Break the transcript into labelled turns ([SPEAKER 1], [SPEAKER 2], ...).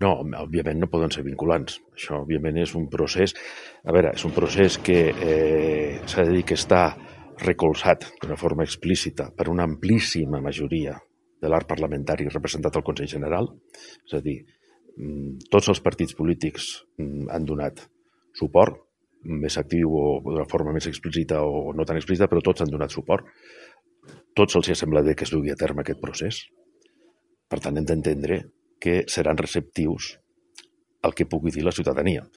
[SPEAKER 1] No, òbviament no poden ser vinculants. Això, òbviament, és un procés... A veure, és un procés que s'ha de dir que està recolzat d'una forma explícita per una amplíssima majoria de l'arc parlamentari representat al Consell General. És a dir, tots els partits polítics han donat suport, més actiu o d'una forma més explícita o no tan explícita, però tots han donat suport. Tots els ha semblat bé que es dugui a terme aquest procés. Per tant, hem d'entendre que seran receptius al que pugui dir la ciutadania.